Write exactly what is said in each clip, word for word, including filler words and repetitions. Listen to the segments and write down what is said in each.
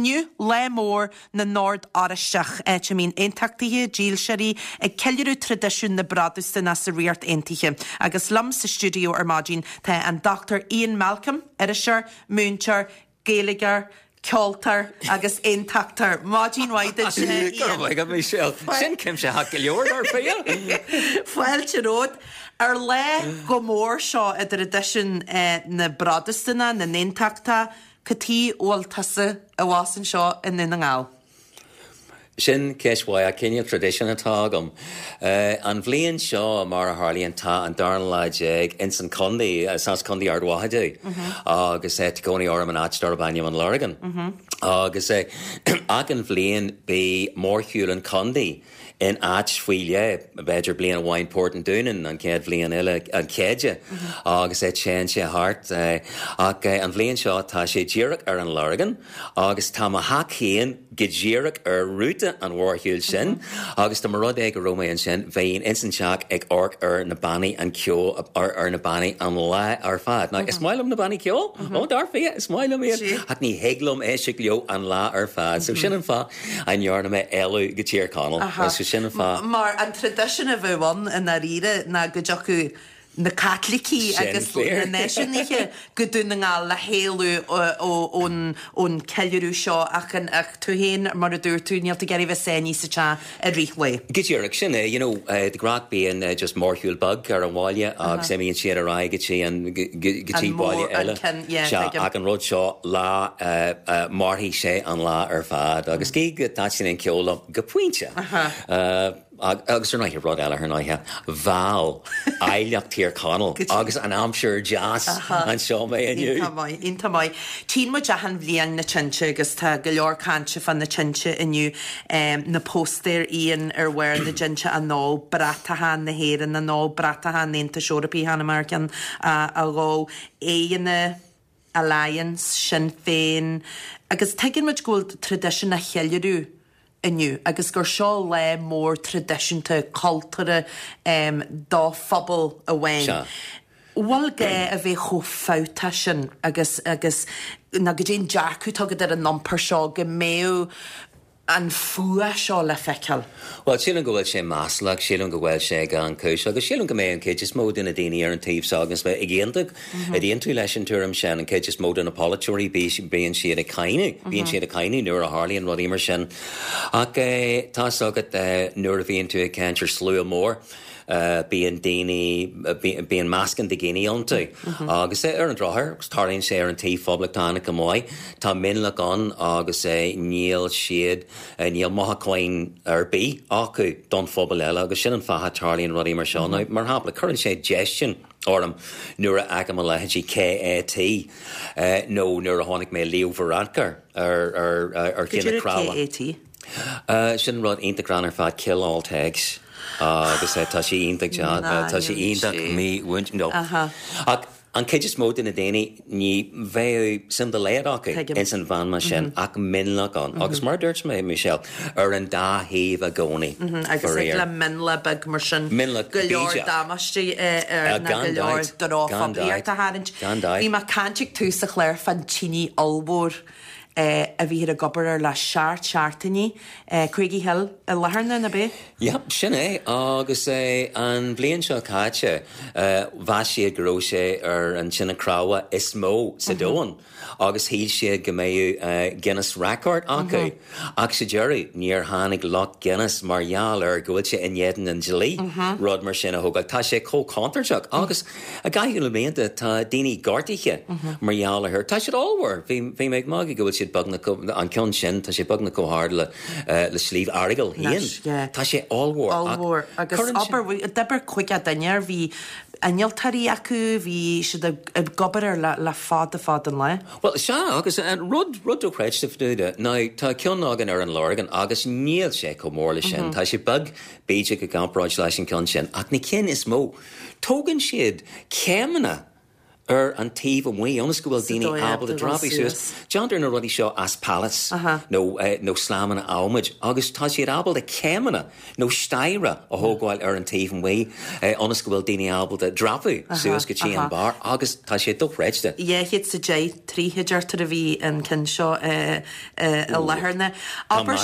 Inniu lá mór na nOrd Oráisteach áit a mbíonn aontachtaithe dílseoirí ag ceiliúradh traidisiún na bProtastúnach sa Ríocht Aontaithe. Agus liom sa stiúideo ar maidin tá an Dr Ian Malcolm, iriseoir, múinteoir, Gaeilgeoir, ceoltóir agus aontachtóir. Maidin mhaith duit Michelle. Sin cuimsitheach go leor dar fia. Fáilte romhat ar lá chomh mór seo i dtraidisiún na bProtastúnach na n-aontachtach, cad chuige a bhfuil tusa abhus anseo i nDún na nGall. Sin ceist mhaith cineál traidisiún atá agam. Uh, an bhliain seo mar a tharlaíonn tá an dara lá déag ins an contae as Contae Ard Mhacha agus é cónaí orm in áit darb ainm an Lorgain. Agus é achan bhliain bíonn mórshiúl an chontae in áit faoi leith, b'fhéidir bliain amháin Port an Dúnáin an chéad bhliain eile an Céide agus é téann sé thart ach an bhliain seo tá sé díreach ar an Lorgain agus tá mo theach féin go díreach ar rúta an mhórshiúil sin agus tá mar rud é go raibh mé ansin bheinn ins an teach ag amharc ar na bannaí an ceol ar ar na bannaí an lá ar fad. Now, is maith liom na bannaí ceol ó dar fia is maith liom iad ach ní thig liom éisteacht leo an lá ar fad, so sin an fáth a ndearna mé éalú go Tír Chonaill so sin an fáth. Mar an traidisiún a bheadh ann i ndáiríre ná go dtiocfadh na Caitlicigh agus na náisiúnaithe go Dún na nGall le héalú ón ón ceiliúradh seo ach an ach tú féin mar a dúirt tú níl tú ag iarraidh bheith sáinnithe sa teach i rith lae. Go díreach sin é, you know, uh, de ghnáth bíonn uh, just mórshiúl beag ar an bhaile agus imíonn siad ar aghaidh go dtí an go dtí baile eile. ach an rud seo lá uh, uh, mairfidh sé an lá ar fad agus gí go dtaitníonn an ceol go pointe. Uh, agus ar ndóigh rud eile ar ndóigh bhal áilleacht Thír Chonaill agus an aimsir deas anseo mé inniu. Iontach maith. Tchíonn muid achan bhliain na tinte agus tá go leor cainte fá na tinte inniu na póstaeir Ian ar bharr na dtinte á ndó bratacha na hÉireann á ndó bratacha an Aontais Eorpaigh cheana mar ceann a dhó éanna Alliance Sinn Féin agus tuigeann muid go bhfuil traidisiún á cheiliúradh inniu agus gur seo lá mór traidisiúnta cultúrtha um, do phobal amháin. Bhfuil gá a bheith chomh fabhtach sin agus agus na go dtéon dearcadh tugad ar an iompar seo go mbeadh an fuath seo le feiceáil. Well sílim go bhfuil sé maslach, sílim go bhfuil sé gan chúis, agus sílim go mbeidh an chuid is mó de na daoine ar an taobh seo agus bheith ag aontú ag aontú leis an tuairim sin an chuid is mó de na polaiteoirí bíonn siad ag cáineadh, bíonn siad ag cáineadh nuair a tharlaíonn rudaí mar sin. Ach tá agat nuair a bhíonn tú ag caint ar slua mór. Uh, bíonn daoine bíonn meascán de dhaoine iontu agus é ar an drochuair tarlaíonn sé ar an taobh poblachtánach go maith Tá mionlach ann agus é níl siad níl mothúcháin ar bith acu don phobal eile agus sin an fáth tarlaíonn rudaí mar seo mm -hmm. mar shampla cuireann sé déistin orm nuair a fheicim a leithéidí KAT uh, nó nuair a chonaic mé Leo Varadkar ar ar ar, ar tine cnámha. KAT? Uh, sin rud iontach greannmhar fad kill all tags. agus tá sé iontach tá sé iontach mí no. Ach an chuid is mó de na daoine ní bheadh suim dá laghad acu ins an mheanma sin ach mionlach ann. Agus mar dúirt mé Michelle ar an dá thaobh i gcónaí. Agus ag le mionlach beag mar sin go leor damáiste ar na go leor drochphoiblíocht a tharraingt. Bhí mé caint ag tús an chláir fán tine ollmhór a bhí ag obair ar le seacht seachtainí Craigie Hill i Latharna na bé? Ja, sin é agus é an bhliain seo caite mheas siad go raibh sé ar an tine cnámha is mó sa domhan. agus shíl siad go mbeadh Guinness record acu. Ach sa deireadh níor tháinig lucht Guinness mar gheall ar go bhfuil sé in éadan an dlí rud mar sin a thógáil. Tá sé chomh contúirteach agus i gcaitheamh na blianta tá daoine gortaithe mar gheall air. Tá siad ollmhór, bhí mé ag magadh go bhfuil siad beagnach an ceann sin tá sé beagnach chomh hard le le Sliabh Earagail féin. Tá sé ollmhór. Ollmhór agus obair d'oibir caoga duine air bhí innealtóirí acu bhí siad ag obair ar le le fada fada an lá. Well sea agus an rud rud dochreidte ná tá ceann againn ar an Lorgain agus níl sé chomh mór le sin Tá sé beag b'fhéidir i gcomparáid leis an ceann sin ach na cinn is mó. Tógann siad céimeanna ar an taobh amuigh ionas go bhfuil daoine ábalta dreapadh suas. Déantar na rudaí seo as pallets nó nó slamanna adhmaid agus tá siad ábalta céimeanna nó staighre a thógáil ar an taobh amuigh ionas go bhfuil daoine ábalta dreapadh suas go dtí an barr agus tá sé dochreidte. Dhá chéad is a deich troithe deirtear a bhí an ceann seo i láthair na. Abair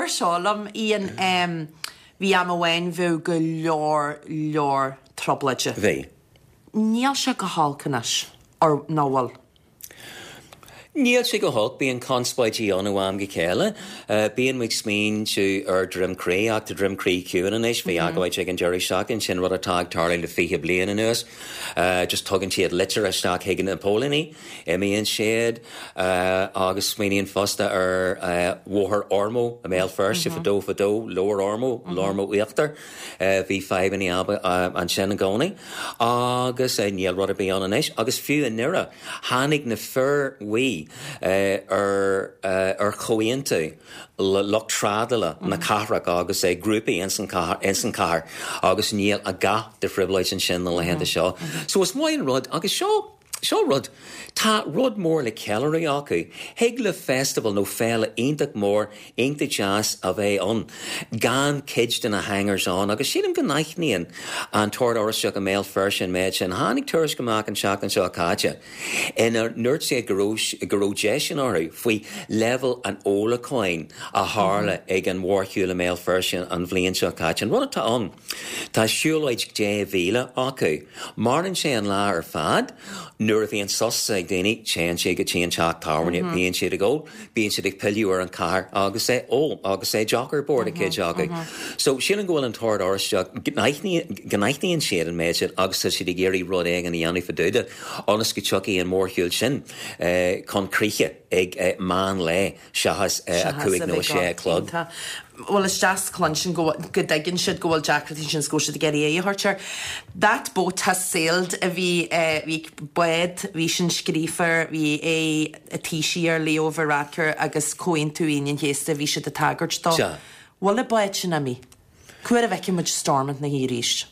seo liom Ian bhí am amháin bheadh go leor leor trioblóide. Bhí. Níl sé go holc anois, or ná bhfuil? Níl sé go holc, bíonn conspóidí ann ó am go chéile. Bíonn muid smaointiú ar Droim Crí ach tá Droim Crí ciúin anois, bhí agóid ag an deireadh seachtaine, sin rud atá ag tarlú le fiche bliain anuas. Just tugann siad litir isteach chuig na póilíní, imíonn siad agus smaoiníonn fosta ar Bhóthar Ormeau i mBéal Feirste fadó fadó, Lower Ormeau, Ormeau Íochtar. Bhí fadhbanna ansin i gcónaí agus níl rud ar bith ann anois agus fiú i nDoire tháinig na fir bhuí ar ar chomhaontú le lucht trádála na cathrach agus grúpaí ins an chathair agus níl a dhath de thrioblóid ansin na laethanta seo. So is maith an rud agus seo Seo rud, tá rud mór le ceiliúradh acu. Thig le festival nó féile iontach mór, iontach deas a bheith ann, gan cuid de na hangers ann agus sílim go n-aithníonn an tOrd Oráisteach i mBéal Feirste an méid sin. Tháinig tuairisc amach an tseachtain seo caite ina ndúirt siad go raibh go raibh déistin orthu faoi leibhéal an ólacháin a tharla ag an mhórshiúl i mBéal Feirste an bhliain seo caite. An rud atá ann, tá siúlóid deich mhíle acu. Maireann sé an lá ar fad. Nuair a bhíonn sos ag daoine, téann siad go dtí an teach tábhairne, bíonn siad ag ól, bíonn siad ag pilleadh ar an chathair agus é ól agus é deoch ar bord ag cuid acu. So sílim go bhfuil an tOrd Oráisteach, go n-aithníonn siad an méid sin agus tá siad ag iarraidh rud éigin a dhéanamh fá dtaobh de ionas go dtiocfaidh an mórshiúl sin chun críche ag meán lae seachas a cúig nó a sé a chlog. Bhuel, is deas cluinstin go go dtuigeann siad go bhfuil deacrachtaí ansin is go bhfuil siad ag iarraidh aghaidh a thabhairt air. That boat has sailed a bhí bhí bád, bhí sin scríofa air, bhí aghaidh an Taoisigh air, Leo Varadkar agus Comhaontú Aoine an Chéasta, bhí siad ag tagairt dó. Sea. Bhfuil an bád sin imithe? Cá huair a bhfeicfidh muid Stormont na arís?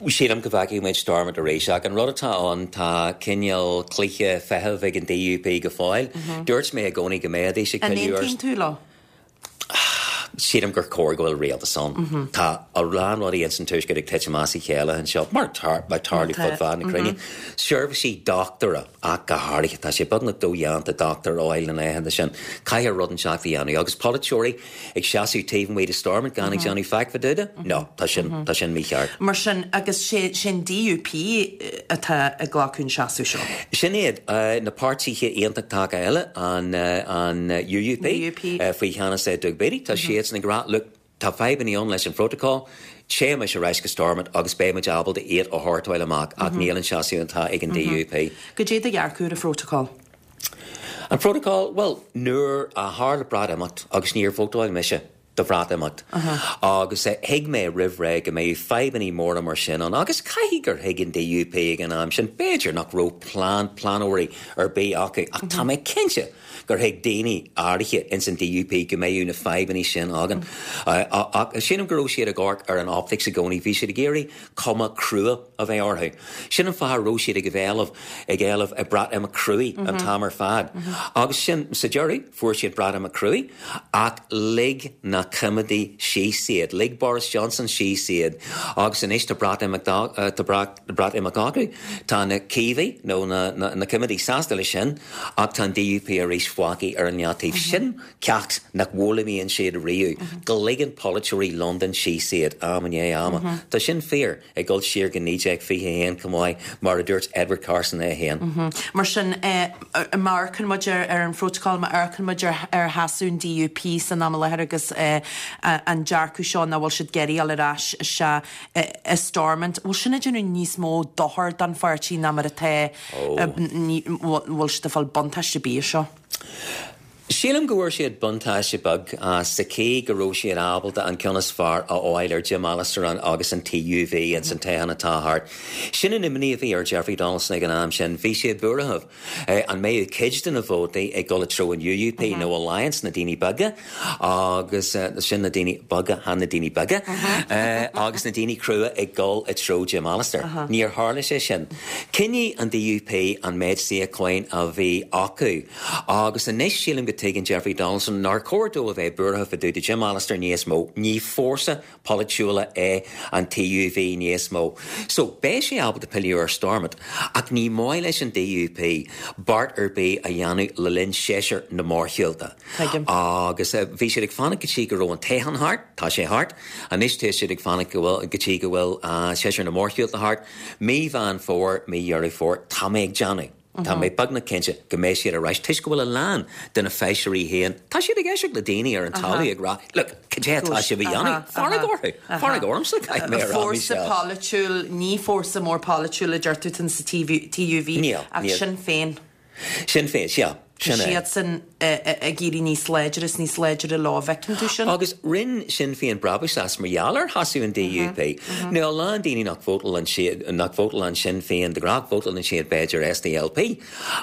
Sílim go bhfeicfidh muid Stormont arís ach an rud atá ann tá cineál cluiche feithimh ag an DUP go fóill. Dúirt mé i gcónaí go mbeidís ag An pilleadh ar aontaíonn tú leo? Sílim gur cóir go bhfuil rialtas ann. Tá a lán rudaí ins an tuaisceart ag titim as a chéile anseo, mar mar tarlú fud fad na cruinne. Seirbhísí dochtúra ach go háirithe, tá sé beagnach dodhéanta dochtúir a fháil na laethanta sin. Caithfidh rud inteacht a dhéanamh agus polaiteoirí ag seasamh taobh amuigh de Stormont gan ag déanamh faic fá dtaobh de? No, tá sin tá sin mícheart. Mar sin, agus sé sin DUP atá ag glacadh an seasamh seo. Sin iad na páirtithe aontachtacha eile, an an UUP, UUP. faoi cheannas Doug Beattie, tá siadsan ag rá, look, tá fadhbanna ann leis an phrotocol, téimis ar ais go Stormont agus beidh muid ábalta iad a shórtáil amach ach níl an seasamh atá ag an DUP. Goidé do dhearcadh ar an phrotocol? An protocol, well, nuair a tharla Breatimeacht agus níor vótáil mise do Bhreatimeacht agus thuig mé roimh ré go mbeadh fadhbanna móra mar sin ann agus caithfidh gur thuig an DUP ag an am sin, b'fhéidir nach raibh plean pleanóirí ar bith acu ach tá mé cinnte gur thuig daoine áirithe ins an DUP go mbeadh na fadhbanna sin againn. Ach sílim go raibh siad ag amharc ar an optics i gcónaí, bhí siad ag iarraidh cuma crua a bheith orthu. Sin an fáth a raibh siad ag éileamh ag éileamh a Breatimeacht cruaidh an t-am ar fad. Agus sin sa deireadh fuair siad Breatimeacht cruaidh ach lig na coimeádaigh síos iad, lig Boris Johnson síos iad agus anois tá Breatimeacht tá Breatimeacht acu, tá na Caomhaigh nó na, na, na coimeádaigh sásta leis sin ach tá an DUP arís fágtha ar an leataobh. Sin ceacht nach bhfoghlaimíonn siad riamh, go ligeann polaiteoirí Londain síos iad am i ndiaidh ama. Tá sin fíor ag dul siar go naoi déag fiche a haon chomh maith mar a dúirt Edward Carson é féin. Mar sin, má amharcann muid ar ar an phrotocol, má amharcann muid ar ar sheasamh an DUP san am i láthair agus an dearcadh seo nach bhfuil siad ag iarraidh dul ar ais isteach i Stormont, bhfuil sin ag déanamh níos mó dochair don pháirtí ná mar atá, bhfuil siad ag fáil buntáiste ar bith as seo? Sílim go bhfuair siad buntáiste beag sa chaoi go raibh siad ábalta an ceann is fearr a fháil ar Jim Allister agus an T U V in san toghchán atá thart. Sin an imní a bhí ar Jeffrey Donaldson ag an am sin, bhí sé buartha an mbeadh cuid de na vótaí ag dul i dtreo an U U P mm -hmm. nó Alliance, na daoine beaga, agus uh, sin na daoine beaga han na daoine beaga uh, agus na daoine crua ag dul i dtreo Jim Allister. Uh -huh. Níor tharla sé sin. Choinnigh an D U P an méid suíochán a bhí acu, agus anois sílim go dtuigeann Jeffrey Donaldson nár chóir dó a bheith buartha fá dtaobh de Jim Allister níos mó, ní fórsa polaitiúla é an T U V níos mó. So beidh sé ábalta pilleadh ar Stormont, ach ní maith leis an D U P beart ar bith a dhéanamh le linn séasúr na mórshiúlta. Agus uh, bhí siad ag fanacht go dtí go raibh an toghchán thart, tá sé thart, anois tá siad ag fanacht go bhfuil go dtí go bhfuil uh, séasúr na mórshiúlta thart, mí Mheán Fómhair, mí Dheireadh Fómhair, tá mé ag déanamh. Tá mé beagnach cinnte go mbeidh siad ar ais toisc go bhfuil a lán de na feisirí féin. Tá siad ag éisteacht le daoine ar an talamh ag rá, "Look, cad é atá sibh a dhéanamh? Fearg orthu, fearg ormsa." Fórsa polaitiúil, ní fórsa mór polaitiúil a deir tú sa T U V ach Sinn Féin. Sinn Féin, sea. Siad san ag éirí níos láidre is níos láidre lá bhfeiceann tú sin. Agus rinne Sinn Féin brabús as mar gheall ar sheasamh an D U P. Nó a lán daoine nach vótálann nach vótálann Sinn Féin de ghnáth, vótálann siad b'fhéidir S D L P,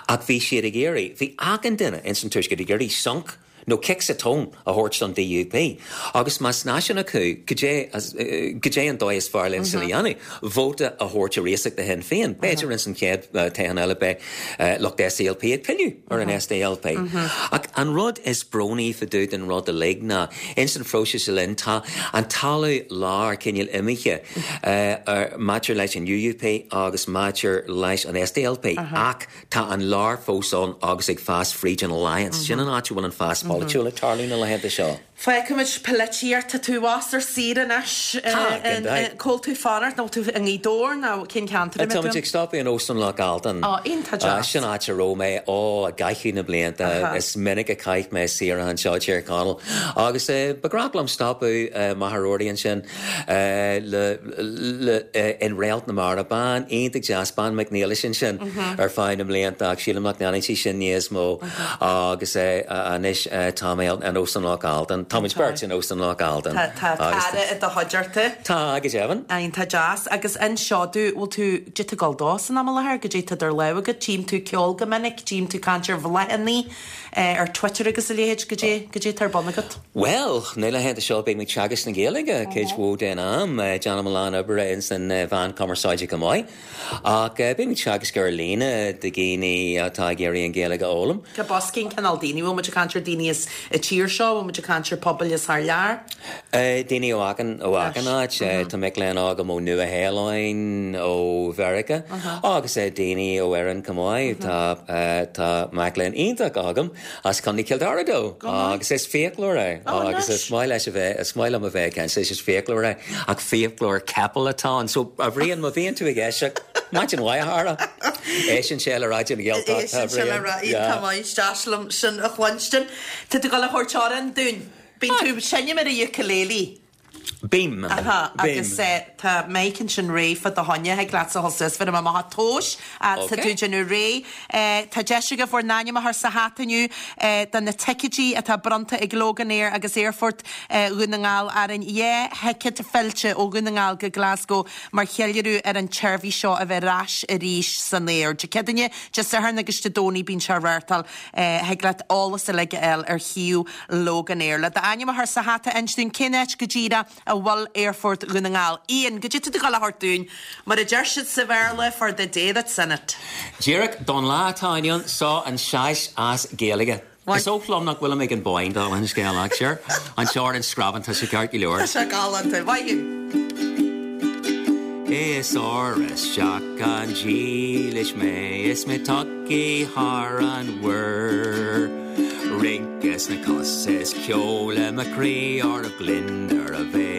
ach bhí siad ag iarraidh, bhí achan duine in san tuaisceart ag iarraidh sonc nó cic sa tóin a thabhairt don D U P. Agus más náisiúnach thú, cad é an dóigh is fearr linn sin a dhéanamh, vóta a thabhairt ar ais do Shinn Féin. B'fhéidir in san chéad toghchán eile beidh lucht S D L P ag pilleadh ar an S D L P. Ach an rud is brónaí fá dtaobh den rud uilig ná in san phróiseas linn tá an talamh lár cineál imithe maidir leis an U U P agus maidir leis an S D L P ach tá an lár fós ann agus ag fás fríd an Alliance. Sin an áit bhfuil an fás polaitiúil ag tarlú na laethanta seo. Feicimid polaitíocht. Tá tú abhus ar saoire anois. Cá bhfuil tú fanacht nó tú i nGaoth Dobhair nó cén ceantar? Tá ag stopadh in Óstán Loch Altan. Iontach. Sin áit a raibh mé ó i gcaitheamh na blianta, is minic a chaith mé saoire anseo Tír Chonaill. Agus ba ghnách liom stopadh Machaire ansin le in Réalt na Mara, bean iontach deas, bean McNeilis sin ar feadh na mblianta, ach sílim nach ndéanann sí sin níos mó, agus anois tá mé in Óstán Loch Altan. Tá beirt in Óstán Loch Altan. Tá cara i do chuideachta. Tá, go deimhin. Tá deas agus anseo tú bhfuil tú dit go dó san am láthair go dtí tá dar le go tím tú ceol go minic, tím tú caint ar bhloghanna ar Twitter agus a leithéid, go dtí go dtí tar bun agat. Well, na laethanta seo beidh mé ag teagasc na Gaeilge cuid mhór den am, déanaim a lán oibre in san mheán cumarsáide go maith. Ach beidh mé ag teagasc ar líne do dhaoine atá ag iarraidh an Ghaeilge a fhoghlaim. Cá bhfios cén cineál daoine? Bhfuil muid ag caint ar daoine as an tír seo, bhfuil muid ag caint ar pobail as thar lear? Daoine ó achan ó achan áit, tá mic léinn agam ó Nua-Shéalainn, ó Mheiriceá agus daoine ó Éirinn go maith, tá tá mac léinn iontach agam as Contae Chill Dara dó agus is fiaclóir é agus is maith leis a bheith is maith liom a bheith cen is fiaclóir é ach fiaclóir capall atá ann, so a Bhriain, má bhíonn tú ag éisteacht, maidin mhaith, a chara. Éisteann sé le Raidió na Gaeltachta. Tá liom sin a chluinstin. Tá tú ag gabháil a thabhairt amhrán dúinn. Bíonn tú ag seinm ar an ukulele. Bím. Agus tá mic ansin réidh fá do choinne, thig leatsa dhul suas fir amach tóis sa tú déanamh réidh. Tá deis agaibh bhur n-ainm a chur sa hata inniu do na ticéidí atá bronnta ag Loganair agus Aerfort Dhún na nGall orainn, dhá thicéad fillte ó Dhún na nGall go Glasgow mar cheiliúradh ar an tseirbhís seo a bheith ar ais arís san aer. Dé Céadaoine, Dé Sathairn agus Dé Domhnaigh bíonn sé á reáchtáil, thig leat eolas uilig a fháil ar shuíomh Loganair. Le d'ainm a chur sa hata, inis dúinn cén áit go díreach a bhfuil Aerfort Dhún na nGall. Ian, cad é tá tú ag gabháil a thabhairt dúinn, mar a deir siad sa Bhéarla, for the day that's in it. Díreach don lá atá inniu, seo an sais as Gaeilge. Is oth liom nach bhfuil ag an boinn dá an scéal sir an seir an scraban tá sé ceart go leor. Tá sé galánta, Mhaith. Is ar isteach an dílis mé is mé tagtha thar an mhuir. Rince sna cosa is ceol i mo chroí ar a gliondar a bheith.